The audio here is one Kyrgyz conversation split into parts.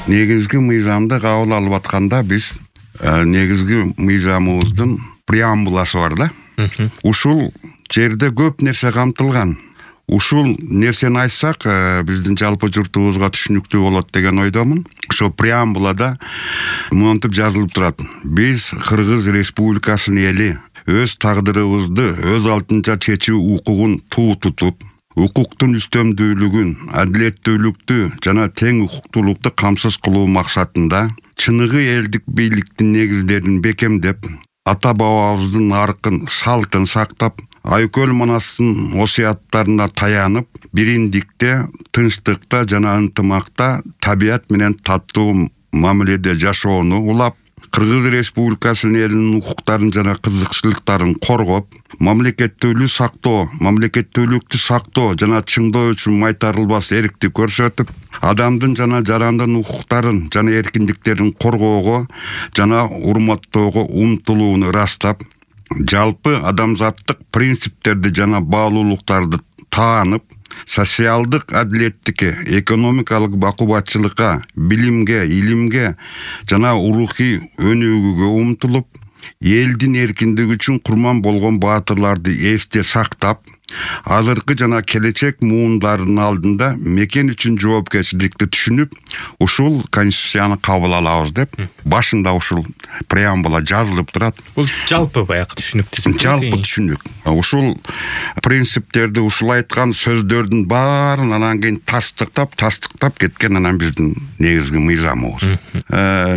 негизги мыйзамды кабыл алып атканда биз негизги мыйзамыбыздын преамбуласы бар да. Ушул жерде көп нерсе камтылган. Ушул нерсени айтсак, биздин жалпы журтубузга түшүнүктүү болот деген ойдомун. Ошо преамбулада монтип жазылып турат. Биз Кыргыз Республикасынын эли өз тагдырыбызды өз алдынча чечүү укугун туу тутуп, укуктун үстөмдүүлүгүн, адилеттүүлүктү жана тең укуктуулукту камсыз кылуу максатында чыныгы элдик бийликтин негиздерин бекемдеп, ата бабабыздын аркын, салтын сактап, Айкөл Манастын осуяттарына таянып, бириндикте, тынчтыкта жана ынтымакта табият менен таттуу мамиледе жашоону улап, Кыргыз Республикасынын элинин укуктарын жана кызыкчылыктарын коргоп, мамлекеттүүлүктү сактоо жана чыңдоо үчүн майтарылбас эркти көрсөтүп, адамдын жана жарандын укуктарын жана эркиндиктерин коргоого жана урматтоого умтулууну ырастап, жалпы адамзаттык принциптерди жана баалуулуктарды таанып, социалдык адилеттикке, экономикалык бакубатчылыкка, билимге, илимге жана рухий өнүгүүгө умтулуп, элдин эркиндиги үчүн курман болгон баатырларды эсте сактап, азыркы жана келечек муундарынын алдында мекен үчүн жоопкерчиликти түшүнүп, ушул конституцияны кабыл алабыз деп башында ушул преамбула жазылып турат. Бул жалпы баягы түшүнүк түзүп. Жалпы түшүнүк. Ушул принциптерди, ушул айткан сөздөрдүн баарын анан кийин тастыктап кеткен анан биздин негизги мыйзамыбыз.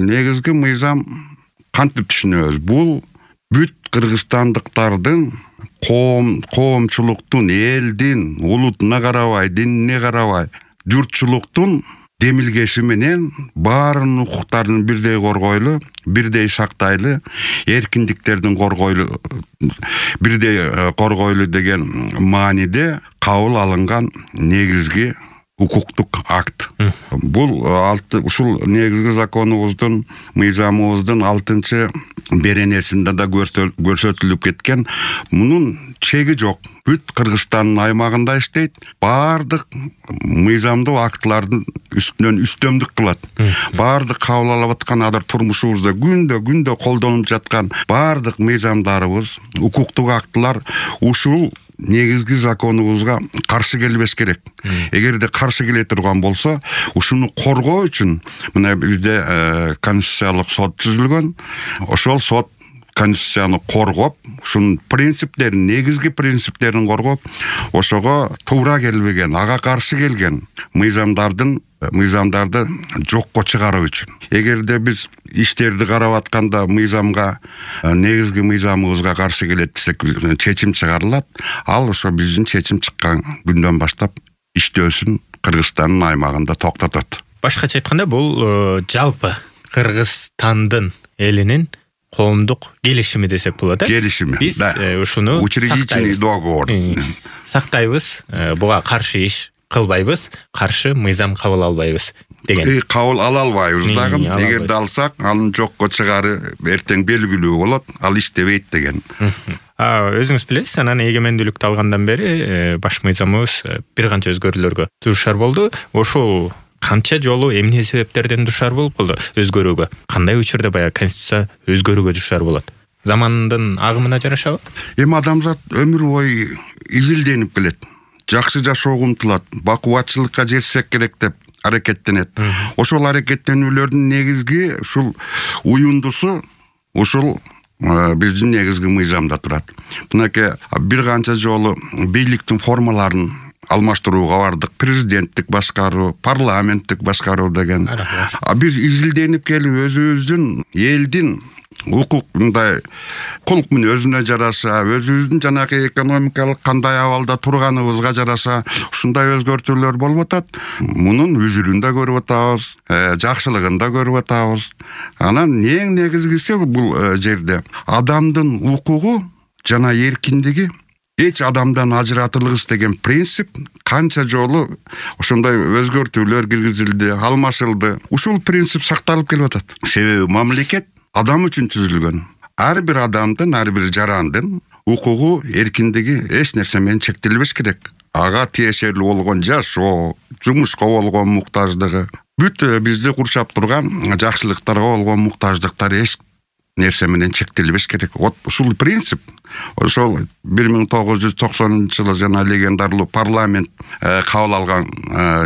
Негизги мыйзам кантип түшүнөбүз? Бул бүт кыргызстандыктардын коомчулуктун, элдин, улутуна карабай, динине карабай, журтчулуктун демилгеси менен баарынын укуктарын бирдей коргойлу, бирдей сактайлы, эркиндиктердин бирдей коргойлу деген мааниде кабыл алынган негизги укуктук акт. Бул ушул негизги законубуздун, мыйзамыбыздын 6 беренесинде да көрсөтүлүп кеткен. Мунун чеги жок. Бүт Кыргызстандын аймагында иштейт. Баардык мыйзамдуу актылардын үстүнөн үстөмдүк кылат. Баардык кабыл алып аткан турмушубузда күндө колдонуп жаткан баардык мыйзамдарыбыз, укуктук актылар ушул негизги законубузга каршы келбеш керек. Эгерде каршы келе турган болсо, ушуну коргоо үчүн мына бизде конституциялык сот түзүлгөн. Ошол сот конституцияны коргоп, ушунун принциптерин, негизги принциптерин коргоп, ошого туура келбеген, ага каршы келген мыйзамдарды жокко чыгаруу үчүн. Эгерде биз иштерди карап атканда мыйзамга, негизги мыйзамыбызга каршы келет десек, чечим чыгарылат. Ал ошо биздин чечим чыккан күндөн баштап иштөөсүн Кыргызстандын аймагында токтотот. Башкача айтканда, бул жалпы Кыргызстандын элинин коомдук келишими десек болот, Келишими. Биз ушуну учредительный договор сактайбыз, буга каршы иш кылбайбыз, каршы мыйзам кабыл албайбыз деген. Кабыл ала албайбыз дагы. Эгерде алсак, анын жокко чыгары эртең белгилүү болот, ал иштебейт деген. Өзүңүз билесиз, анан эгемендүүлүктү алгандан бери баш мыйзамыбыз бир канча өзгөрүүлөргө дуушар болду. Ошол канча жолу эмне себептерден дуушар болуп калды өзгөрүүгө? Кандай учурда баягы конституция өзгөрүүгө дуушар болот? Замандын агымына жарашабы? Эми адамзат өмүр бою изилденип келет. Жакшы жашоого умтулат, бакубатчылыкка жетсек керек деп аракеттенет. Ошол аракеттенүүлөрдүн негизги ушул уюндусу ушул биздин негизги мыйзамда турат. Мынакей бир канча жолу бийликтин формаларын алмаштырууга бардык. Президенттик башкаруу, парламенттик башкаруу деген. Биз изилденип келип өзүбүздүн элдин укугундай кулк өзүнө жараша, өзүбүздүн жанагы экономикалык кандай абалда турганыбызга жараша ушундай өзгөртүүлөр болуп атат. Мунун үзүрүн да көрүп атабыз, жакшылыгын да көрүп атабыз. Анан эң негизгиси бул жерде адамдын укугу жана эркиндиги эч адамдан ажыратылгыс деген принцип канча жолу ошондой өзгөртүүлөр киргизилди, алмашылды. Ушул принцип сакталып келип атат. Себеби мамлекет адам үчүн түзүлгөн. Ар бир адамдын, ар бир жарандын укугу, эркиндиги эч нерсе менен чектелбеш керек. Ага тиешелүү болгон жашоо, жумушка болгон муктаждыгы, бүт бизди курчап турган жакшылыктарга болгон муктаждыктар эч нерсе менен чектелбеш керек. Вот ушул принцип ошол 1990-жылы жана легендарлуу парламент кабыл алган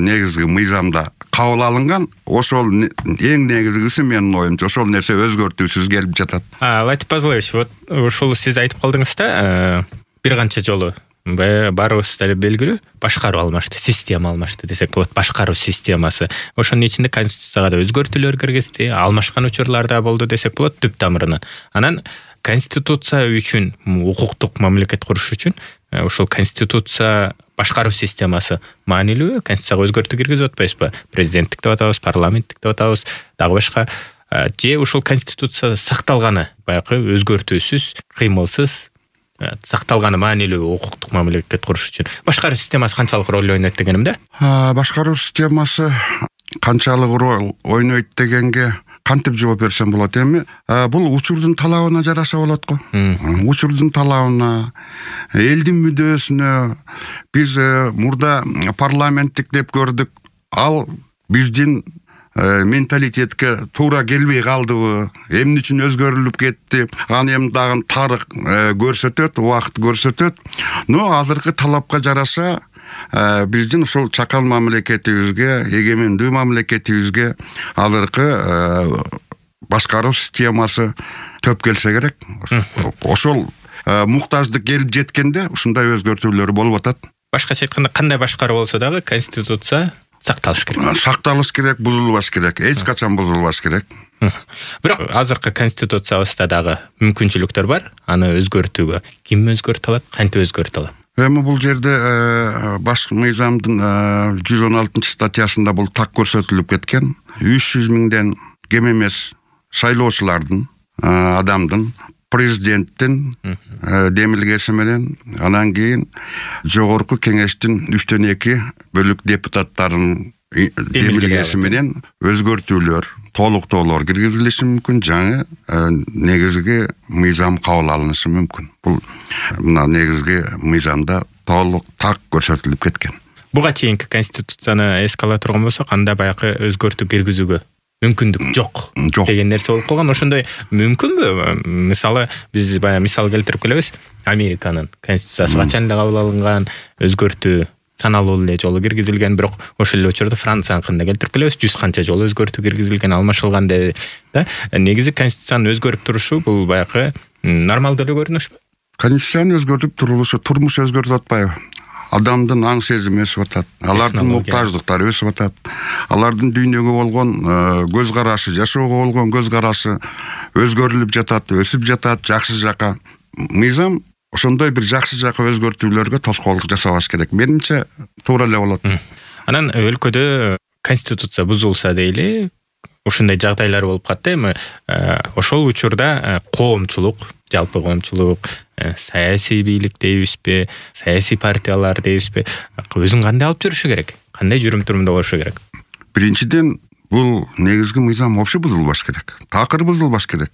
негизги мыйзамда кабыл алынган. Ошол эң негизгиси менин оюмча ошол нерсе өзгөртүүсүз келип жатат. Латип Пазылович, вот ушул сиз айтып калдыңыз да, бир канча жолу баарыбыз деле белгилүү башкаруу алмашты, система алмашты десек болот. Башкаруу системасы ошонун ичинде конституцияга да өзгөртүүлөр киргизди, алмашкан учурлар да болду десек болот түп тамырынан. Анан конституция үчүн, укуктук мамлекет куруш үчүн ошол конституция башкаруу системасы маанилүүбү? Конституцияга өзгөртүү киргизип атпайбызбы? Президенттик деп атабыз, парламенттик деп атабыз, дагы башка. Же ушул конституция сакталганы, баягы өзгөртүүсүз, кыймылсыз сакталганы маанилүү укуктук мамлекет куруш үчүн башкаруу системасы канчалык роль ойнойт дегеним да? Башкаруу системасы канчалык роль ойнойт дегенге кантип жооп берсем болот? Эми бул учурдун талабына жараша болот го. Учурдун талабына, элдин мүдөөсүнө биз мурда парламенттик деп көрдүк. Ал биздин менталитетке туура келбей калдыбы, эмне үчүн өзгөрүлүп кетти, аны эми дагы тарых көрсөтөт, убакыт көрсөтөт. Но азыркы талапка жараша биздин ушул чакан мамлекетибизге, эгемендүү мамлекетибизге азыркы башкаруу системасы төп келсе керек. Ошол муктаждык келип жеткенде ушундай өзгөртүүлөр болуп атат. Башкача айтканда, кандай башкаруу болсо дагы конституция сакталыш керек. Сакталыш керек, бузулбаш керек. Эч качан бузулбаш керек. Бирок азыркы конституциябызда дагы мүмкүнчүлүктөр бар. Аны өзгөртүүгө ким өзгөртө алат, кантип өзгөртө алат? Эми бул жерде баш мыйзамдын 116-статьясында бул так көрсөтүлүп кеткен. 300 миңден кем эмес шайлоочулардын, адамдын, президенттин демилгеси менен, анан кийин жогорку кеңештин 3/2 бөлүк депутаттарынын демилгеси менен өзгөртүүлөр, толуктоолор киргизилиши мүмкүн, жаңы негизги мыйзам кабыл алынышы мүмкүн. Бул мына негизги мыйзамда толук так көрсөтүлүп кеткен. Буга чейинки конституцияны эске ала турган болсок, анда баягы өзгөртүү киргизүүгө мүмкүндүк жок деген нерсе болуп калган. Ошондой мүмкүнбү? Мисалы, биз баягы мисал келтирип келебиз. Американын конституциясы качан эле кабыл алынган, өзгөртүү саналуу эле жолу киргизилген, бирок ошол эле учурда Францияныкында келтирип келебиз. 100 канча жолу өзгөртүү киргизилген, алмашылган да. Негизи конституцияны өзгөрүп турушу бул баягы нормалдуу эле көрүнүшпү? Конституцияны өзгөртүп турулушу турмуш өзгөртүп атпайбы? Адамдын аң сезими өсүп атат, алардын муктаждыктары өсүп атат, алардын дүйнөгө болгон көз карашы, жашоого болгон көз карашы өзгөрүлүп жатат, өсүп жатат жакшы жака. Мыйзам ошондой бир жакшы жака өзгөртүүлөргө тоскоолдук жасабаш керек. Менимче туура эле болот. Анан өлкөдө конституция бузулса дейли, ушундай жагдайлар болуп калды. Эми ошол учурда коомчулук, жалпы коомчулук, саясий бийлик дейбизби, саясий партиялар дейбизби, өзүн кандай алып жүрүшү керек? Кандай жүрүм-турумда болушу керек? Биринчиден, бул негизги мыйзам вообще бузулбаш керек. Такыр бузулбаш керек.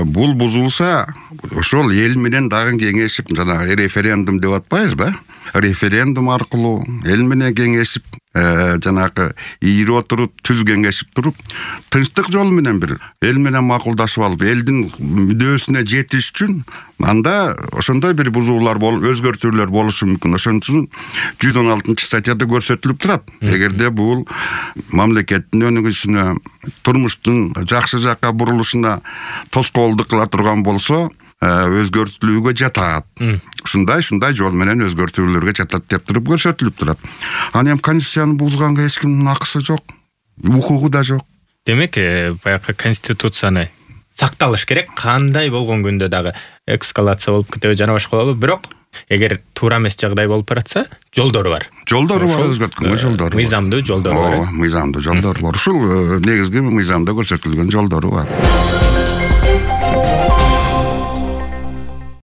Бул бузулса, ошол эл менен дагы кеңешип, жана референдум деп атпайбызбы? Референдум аркылуу эл менен кеңешип, жанагы ийири отуруп, түз кеңешип туруп, тынчтык жолу менен бир эл менен макулдашып алып, элдин мүдөөсүнө жетиш үчүн анда ошондой бир бузуулар өзгөртүүлөр болушу мүмкүн. Ошон үчүн 116-статьяда көрсөтүлүп турат. Эгерде бул мамлекеттин өнүгүшүнө, турмуштун жакшы жакка бурулушуна тоскоолдук кыла турган болсо, өзгөртүлүүгө жатат. Ушундай жол менен өзгөртүүлөргө жатат деп туруп көрсөтүлүп турат. Аны эми конституцияны бузганга эч кимдин акысы жок, укугу да жок. Демек, баягы конституцияны сакталыш керек, кандай болгон күндө дагы эскалация болуп кетеби, жана башка болобу. Бирок эгер туура эмес жагдай болуп баратса, жолдору бар. Жолдору бар, өзгөрткөнгө жолдору бар. Мыйзамдуу жолдору бар. Мыйзамдуу жолдору бар. Ушул негизги мыйзамда көрсөтүлгөн жолдору бар.